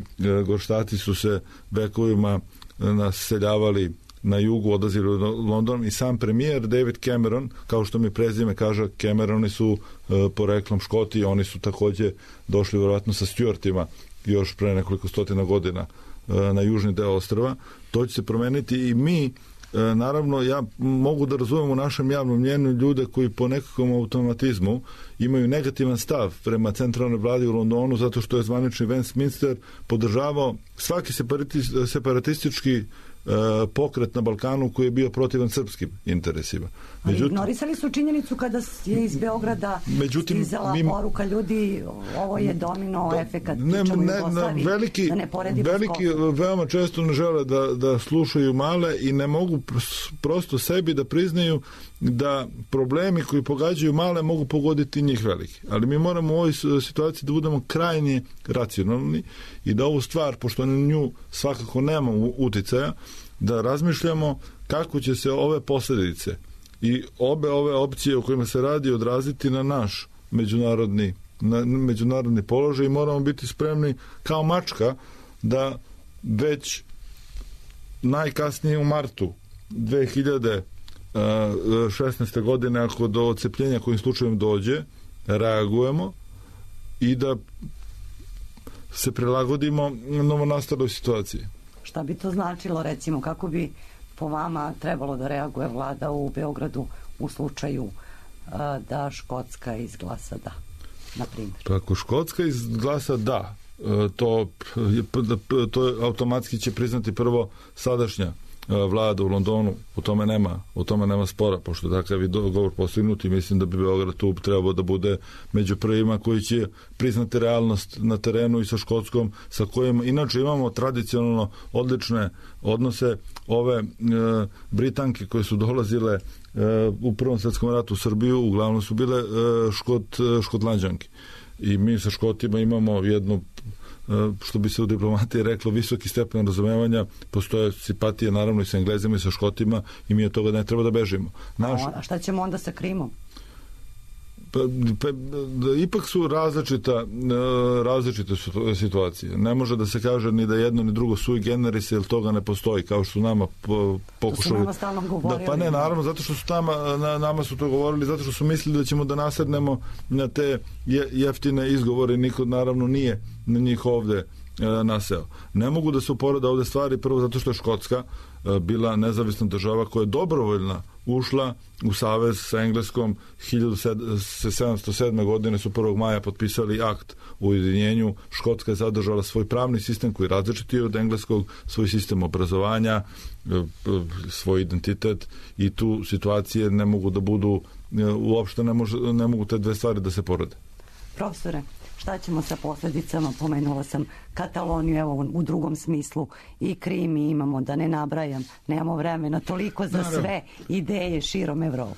gorštati su se vekovima naseljavali na jugu, odlazili u London i sam premijer David Cameron, kao što mi prezime kaže, Cameroni su poreklom Škoti, oni su takođe došli vjerojatno sa Stuartima još pre nekoliko stotina godina na južni deo ostrva. To će se promeniti i mi, naravno, ja mogu da razumem u našem javnom mnjenju ljude koji po nekakvom automatizmu imaju negativan stav prema centralnoj vladi u Londonu, zato što je zvanični Westminster podržavao svaki separatistički pokret na Balkanu koji je bio protivan srpskim interesima. Ali ignorisali su činjenicu kada je iz Beograda stizala poruka ljudi, ovo je domino efekat, pričamo Jugoslaviji, da ne poredimo veliki veoma često ne žele da slušaju male i ne mogu prosto sebi da priznaju da problemi koji pogađaju male mogu pogoditi njih veliki. Ali mi moramo u ovoj situaciji da budemo krajnje racionalni i da ovu stvar, pošto na nju svakako nemamo uticaja, da razmišljamo kako će se ove posljedice i obe ove opcije o kojima se radi odraziti na naš međunarodni položaj i moramo biti spremni kao mačka da već najkasnije u martu 2016. godine, ako do odcepljenja kojim slučajem dođe, reagujemo i da se prilagodimo novonastaloj situaciji. Šta bi to značilo, recimo, kako bi po vama trebalo da reaguje vlada u Beogradu u slučaju da Škotska izglasa da, na primjer? Pa ako Škotska izglasa da, to automatski će priznati prvo sadašnja vlada u Londonu, u tome nema spora, pošto takav je dogovor postignut i mislim da bi Beograd tu trebao da bude među prvima koji će priznati realnost na terenu i sa Škotskom, sa kojim inače imamo tradicionalno odlične odnose. Ove Britanke koje su dolazile u Prvom svetskom ratu u Srbiju uglavnom su bile Škotlanđanke i mi sa Škotima imamo jednu, što bi se u diplomatiji reklo, visoki stepen razumevanja. Postoje simpatije naravno i sa Englezima i sa Škotima i mi od toga ne treba da bežimo. A šta ćemo onda sa Krimom? Ipak su različite situacije. Ne može da se kaže ni da jedno ni drugo sui generis, jer toga ne postoji, kao što su nama pokušali. To su nama stalno govorili. Pa ne, naravno, zato što su nama su to govorili, zato što su mislili da ćemo da nasednemo na te jeftine izgovore. Niko naravno nije na njih ovde naseo. Ne mogu da se uporede ovde stvari, prvo zato što je Škotska bila nezavisna država koja je dobrovoljna ušla u savez sa Engleskom. 1707. godine su 1. maja potpisali akt o ujedinjenju. Škotska je zadržala svoj pravni sistem koji je različiti od engleskog, svoj sistem obrazovanja, svoj identitet, i tu situacije ne mogu da budu, uopšte ne mogu te dve stvari da se porede. Profesore, šta ćemo sa posljedicama? Pomenula sam Kataloniju, evo u drugom smislu, i Krim imamo, da ne nabrajam, nemamo vremena toliko za sve ideje širom Evrope.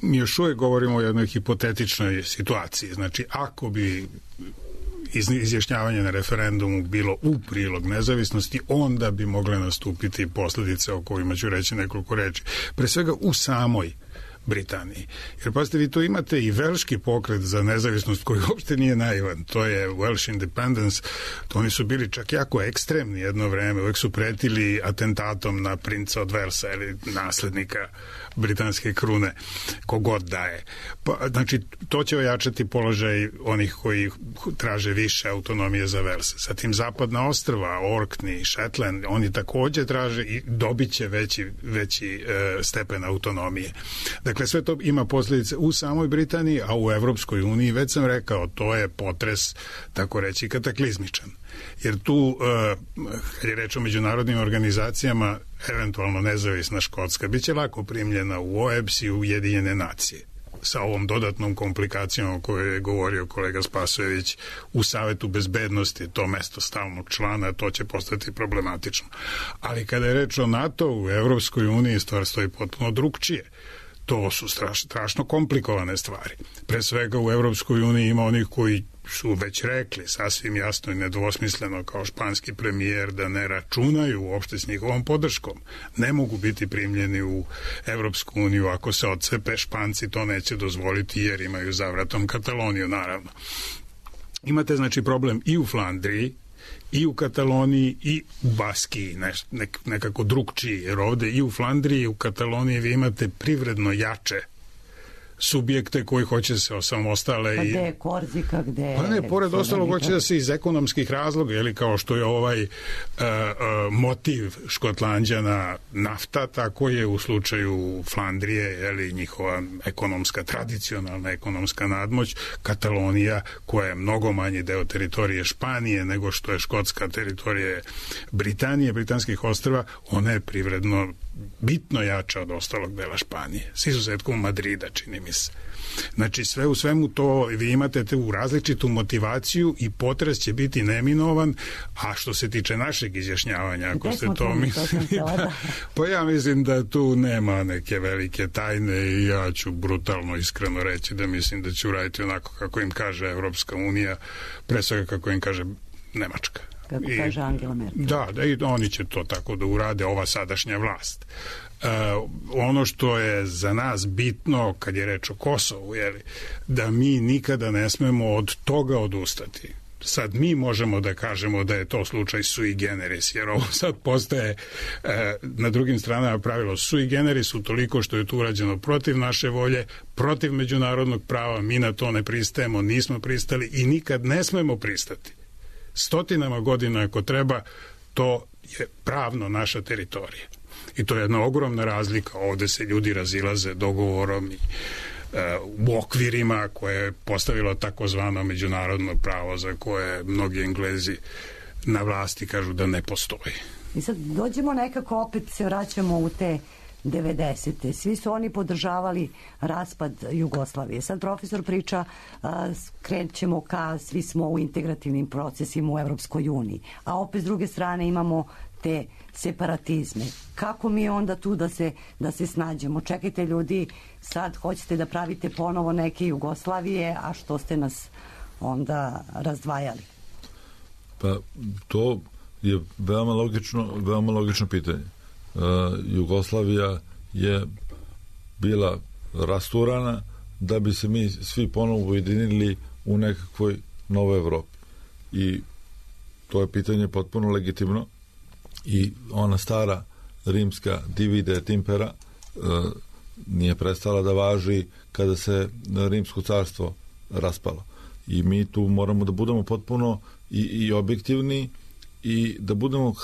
Mi još uvijek govorimo o jednoj hipotetičnoj situaciji. Znači, ako bi izjašnjavanje na referendumu bilo u prilog nezavisnosti, onda bi mogle nastupiti posljedice o kojima ću reći nekoliko reči. Pre svega u samoj Britaniji. Jer pazite, vi tu imate i velški pokret za nezavisnost koji uopšte nije naivan. To je Welsh Independence. To oni su bili čak jako ekstremni jedno vreme. Uvijek su pretili atentatom na princa od Velsa ili naslednika britanske krune, kogod daje. Pa, znači, to će ojačati položaj onih koji traže više autonomije za Vels. Zatim zapadna ostrva, Orkney, Shetland, oni također traže i dobit će veći stepen autonomije. Dakle, sve to ima posljedice u samoj Britaniji, a u Evropskoj uniji, već sam rekao, to je potres, tako reći, kataklizmičan. Jer tu, kad je reč o međunarodnim organizacijama, eventualno nezavisna Škotska biće lako primljena u OEBS i u Ujedinjene nacije. Sa ovom dodatnom komplikacijom o kojoj je govorio kolega Spasojević, u Savetu bezbednosti, to mesto stalnog člana, to će postati problematično. Ali kada je reč o NATO u Evropskoj uniji, stvar stoji potpuno drugčije. To su strašno komplikovane stvari. Pre svega u Evropskoj uniji ima onih koji su već rekli sasvim jasno i nedvosmisleno kao španski premijer da ne računaju uopšte s njihovom podrškom. Ne mogu biti primljeni u Evropsku uniju ako se odcepe. Španci to neće dozvoliti jer imaju za vratom Kataloniju, naravno. Imate znači problem i u Flandriji, i u Kataloniji, i u Baskiji, nekako drugčiji, jer ovde i u Flandriji i u Kataloniji vi imate privredno jače subjekte koji hoće se osamostale. Pa gde je Korzika, gde je... Pa ne, pored ostalog hoće da se iz ekonomskih razloga, ili kao što je ovaj motiv Škotlanđana nafta, tako je u slučaju Flandrije, ili njihova tradicionalna ekonomska nadmoć. Katalonija, koja je mnogo manji deo teritorije Španije nego što je škotska teritorija Britanije, britanskih ostrva, ona je privredno bitno jača od ostalog dela Španije, s izuzetkom Madrida, čini mi se. Znači, sve u svemu to vi imate tu različitu motivaciju i potres će biti neminovan, a što se tiče našeg izjašnjavanja, ako ste to mislili, pa ja mislim da tu nema neke velike tajne i ja ću brutalno iskreno reći da mislim da će uraditi onako kako im kaže Evropska unija, pre svega kako im kaže Nemačka. Kako kaže Angela Merkel. Da, i oni će to tako da urade, ova sadašnja vlast. Ono što je za nas bitno kad je reč o Kosovu, da mi nikada ne smemo od toga odustati. sad mi možemo da kažemo da je to slučaj sui generis, jer ovo sad postaje na drugim stranama pravilo sui generis utoliko što je to urađeno protiv naše volje, protiv međunarodnog prava, mi na to ne pristajemo, nismo pristali i nikad ne smemo pristati. Stotinama godina ako treba, to je pravno naša teritorija. I to je jedna ogromna razlika. Ovde se ljudi razilaze dogovorom i u okvirima koje je postavilo takozvano međunarodno pravo za koje mnogi Englezi na vlasti kažu da ne postoji. I sad dođemo nekako, opet se vraćamo u te 90. Svi su oni podržavali raspad Jugoslavije. Sad profesor priča, krećemo ka, svi smo u integrativnim procesima u Evropskoj uniji, a opet s druge strane imamo te separatizme. Kako mi onda tu da se snađemo? Čekajte ljudi, sad hoćete da pravite ponovo neke Jugoslavije, a što ste nas onda razdvajali? Pa to je veoma logično pitanje. Jugoslavija je bila rasturana da bi se mi svi ponovo ujedinili u nekakvoj novoj Evropi. I to je pitanje potpuno legitimno i ona stara rimska divide et impera nije prestala da važi kada se rimsko carstvo raspalo. I mi tu moramo da budemo potpuno i objektivni i da budemo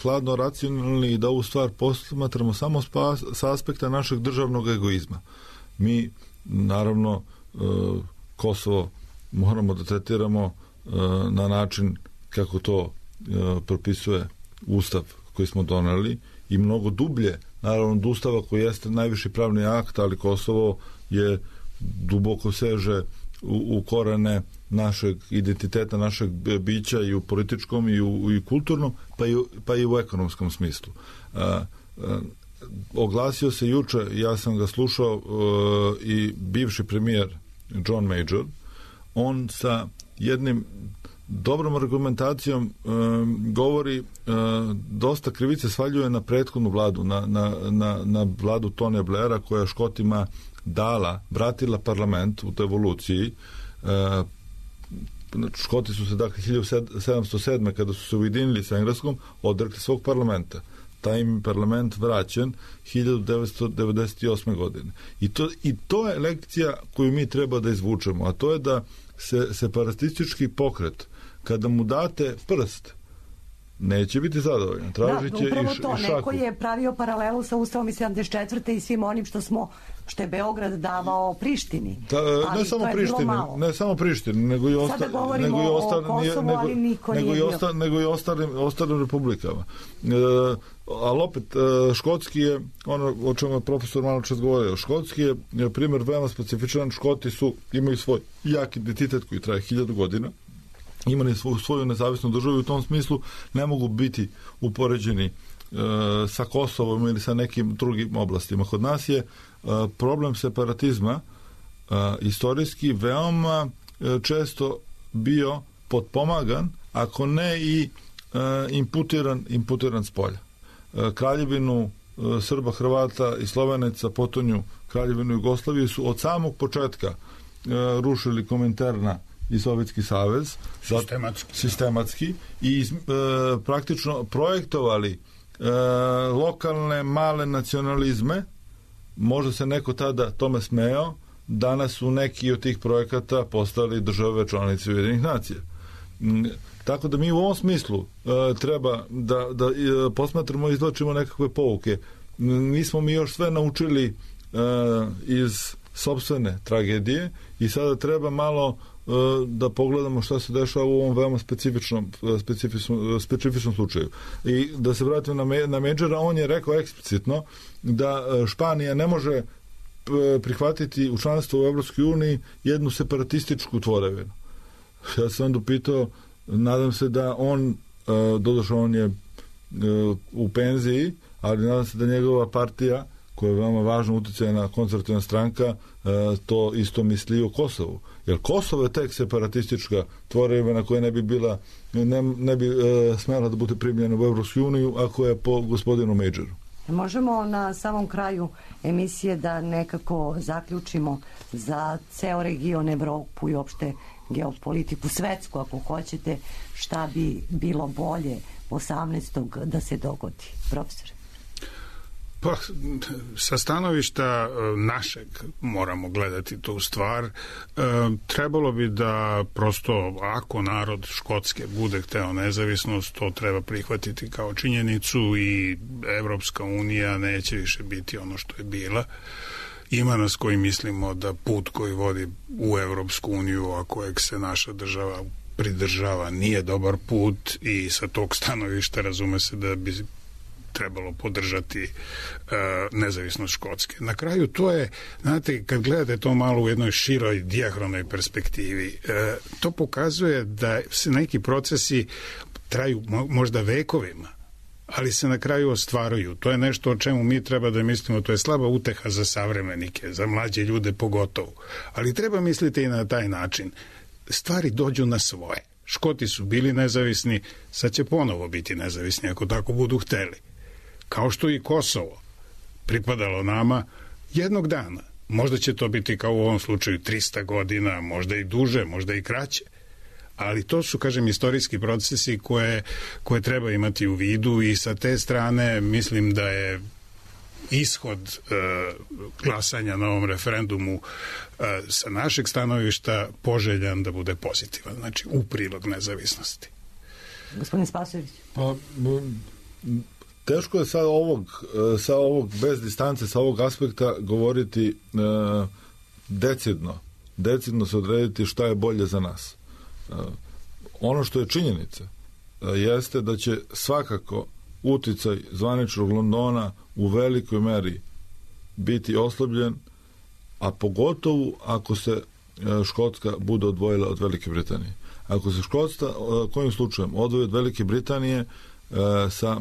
hladno racionalni i da ovu stvar posmatramo samo sa aspekta našeg državnog egoizma. Mi, naravno, Kosovo moramo da tretiramo na način kako to propisuje Ustav koji smo doneli i mnogo dublje, naravno, od Ustava koji jeste najviši pravni akt, ali Kosovo je duboko seže u korene našeg identiteta, našeg bića i u političkom i u kulturnom, pa i u ekonomskom smislu. Oglasio se juče, ja sam ga slušao, i bivši premijer John Major. On sa jednim dobrom argumentacijom govori, dosta krivice svaljuje na prethodnu vladu, na vladu Tonija Blaira, koja Škotima vratila parlament u evoluciji. Škoti su se, dakle, 1707. kada su se ujedinili sa Engleskom, odrekli svog parlamenta. Taj im parlament vraćen 1998. godine. I to je lekcija koju mi treba da izvučemo, a to je da se separatistički pokret, kada mu date prst, neće biti zadovoljan. Tražit će upravo i to. šaku. Neko je pravio paralelu sa Ustavom iz 74. i svim onim što je Beograd davao Prištini. Ne samo Prištini, nego i ostalim republikama. Ali opet, škotski je, ono o čemu je profesor malo čas govorio, škotski je primjer veoma specifičan. Škoti imaju svoj jak identitet koji traje 1000 godina, imali svoju nezavisnu državu i u tom smislu ne mogu biti upoređeni sa Kosovom ili sa nekim drugim oblastima. Kod nas je problem separatizma istorijski veoma često bio potpomagan, ako ne i imputiran s polja. Kraljevinu Srba, Hrvata i Slovenaca, potonju Kraljevinu Jugoslavije su od samog početka rušili Kominterna i Sovjetski savez sistematski i praktično projektovali lokalne male nacionalizme. Možda se neko tada tome smejao, danas su neki od tih projekata postali države članice Ujedinjenih nacija. Tako da mi u ovom smislu treba da posmatramo i izvlačimo nekakve pouke. Nismo mi još sve naučili iz sopstvene tragedije i sada treba malo da pogledamo šta se dešava u ovom veoma specifičnom slučaju. I da se vratim na Majora, on je rekao eksplicitno da Španija ne može prihvatiti u članstvo u Evropskoj uniji jednu separatističku tvorevinu. Ja sam onda pitao, nadam se da on, doduše on je u penziji, ali nadam se da njegova partija, koja je veoma važna, utjecajna konzervativna stranka, to isto misli o Kosovu. Jer Kosovo je tek separatistička tvorevina koja ne bi smela da bude primljena u Evropsku uniju ako je po gospodinu Majoru. Možemo na samom kraju emisije da nekako zaključimo za ceo region, Evropu i uopšte geopolitiku svetsku, ako hoćete, šta bi bilo bolje 18. da se dogodi, profesore? Pa, sa stanovišta našeg moramo gledati tu stvar. Trebalo bi da prosto, ako narod Škotske bude hteo nezavisnost, to treba prihvatiti kao činjenicu i Evropska unija neće više biti ono što je bila. Ima nas koji mislimo da put koji vodi u Evropsku uniju, a kojeg se naša država pridržava, nije dobar put i sa tog stanovišta razume se da bi trebalo podržati nezavisnost Škotske. Na kraju to je, znate, kad gledate to malo u jednoj široj dijahronoj perspektivi, to pokazuje da se neki procesi traju možda vekovima, ali se na kraju ostvaruju. To je nešto o čemu mi treba da mislimo, to je slaba uteha za savremenike, za mlađe ljude pogotovo. Ali treba misliti i na taj način. Stvari dođu na svoje. Škoti su bili nezavisni, sad će ponovo biti nezavisni ako tako budu hteli. Kao što i Kosovo pripadalo nama jednog dana. Možda će to biti kao u ovom slučaju 300 godina, možda i duže, možda i kraće. Ali to su, kažem, istorijski procesi koje treba imati u vidu i sa te strane mislim da je ishod glasanja na ovom referendumu sa našeg stanovišta poželjan da bude pozitivan, znači u prilog nezavisnosti. Gospodin Spasojević. Pa, teško je sa ovog bez distance, sa ovog aspekta govoriti decidno se odrediti šta je bolje za nas. Ono što je činjenica jeste da će svakako uticaj zvaničnog Londona u velikoj meri biti oslabljen, a pogotovo ako se Škotska bude odvojila od Velike Britanije. Ako se Škotska kojim slučajem odvoji od Velike Britanije, sa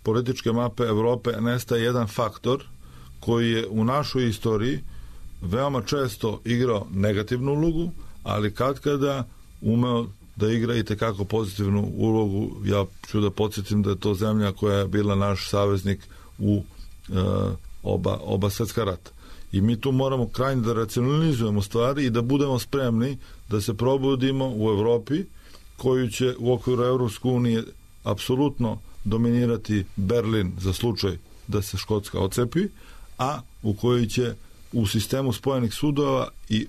političke mape Evrope nestaje jedan faktor koji je u našoj istoriji veoma često igrao negativnu ulogu, ali katkada umeo da igra i tekako pozitivnu ulogu. Ja ću da podsjetim da je to zemlja koja je bila naš saveznik u oba svetska rata. I mi tu moramo krajnje da racionalizujemo stvari i da budemo spremni da se probudimo u Evropi, koju će u okviru Evropske unije apsolutno dominirati Berlin za slučaj da se Škotska odcepi, a u kojoj će u sistemu spojenih sudova i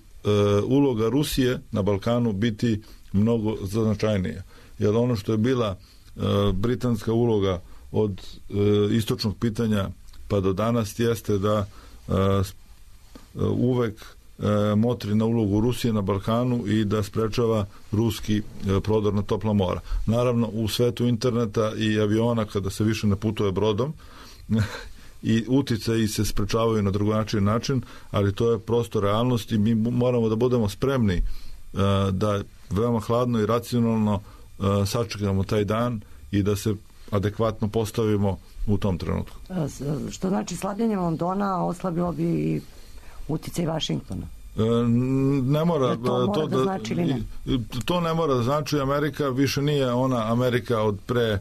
uloga Rusije na Balkanu biti mnogo značajnija. Jer ono što je bila britanska uloga od istočnog pitanja pa do danas jeste da uvek motri na ulogu Rusije na Balkanu i da sprečava ruski prodor na topla mora. Naravno, u svetu interneta i aviona, kada se više ne putuje brodom, i uticaji se sprečavaju na drugačiji način, ali to je prosto realnost i mi moramo da budemo spremni da veoma hladno i racionalno sačekamo taj dan i da se adekvatno postavimo u tom trenutku. Što znači slabljenje Londona oslabilo bi i uticaj Vašingtona? Ne mora da znači ili ne? To ne mora da znači. Amerika više nije ona Amerika od pre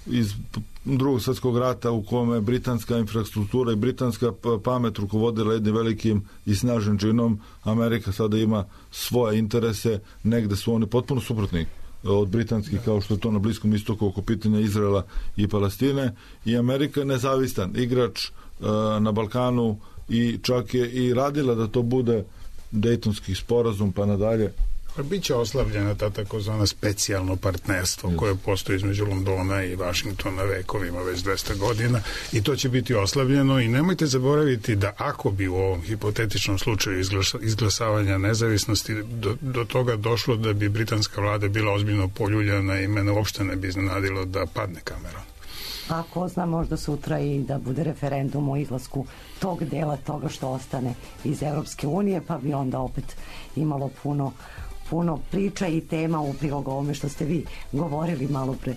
iz Drugog svjetskog rata u kome britanska infrastruktura i britanska pamet rukovodila jednim velikim i snažnim činom. Amerika sada ima svoje interese, negde su oni potpuno suprotni od britanskih, kao što je to na Bliskom istoku oko pitanja Izraela i Palestine, i Amerika je nezavistan igrač na Balkanu i čak je i radila da to bude Dejtonski sporazum pa nadalje. Biće oslabljena ta takozvana specijalno partnerstvo koje postoji između Londona i Vašingtona vekovima, već 200 godina, i to će biti oslabljeno. I nemojte zaboraviti da ako bi u ovom hipotetičnom slučaju izglasavanja nezavisnosti do toga došlo da bi britanska vlada bila ozbiljno poljuljana i mene uopšte ne bi iznenadilo da padne Cameron. A ko zna, možda sutra i da bude referendum o izlasku tog dela toga što ostane iz Evropske unije, pa bi onda opet imalo puno priča i tema u prilog ovome što ste vi govorili malo pre,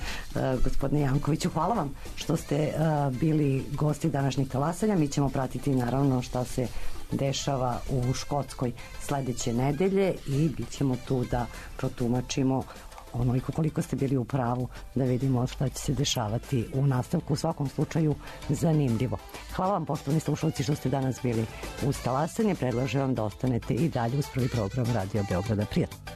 gospodine Jankoviću. Hvala vam što ste bili gosti današnjeg talasanja. Mi ćemo pratiti naravno šta se dešava u Škotskoj sledeće nedelje i bit ćemo tu da protumačimo onoliko koliko ste bili u pravu, da vidimo šta će se dešavati u nastavku. U svakom slučaju zanimljivo. Hvala vam, poštovani slušalci, što ste danas bili uz talasanje. Predlažem vam da ostanete i dalje uz prvi program Radio Beograda. Prijatno.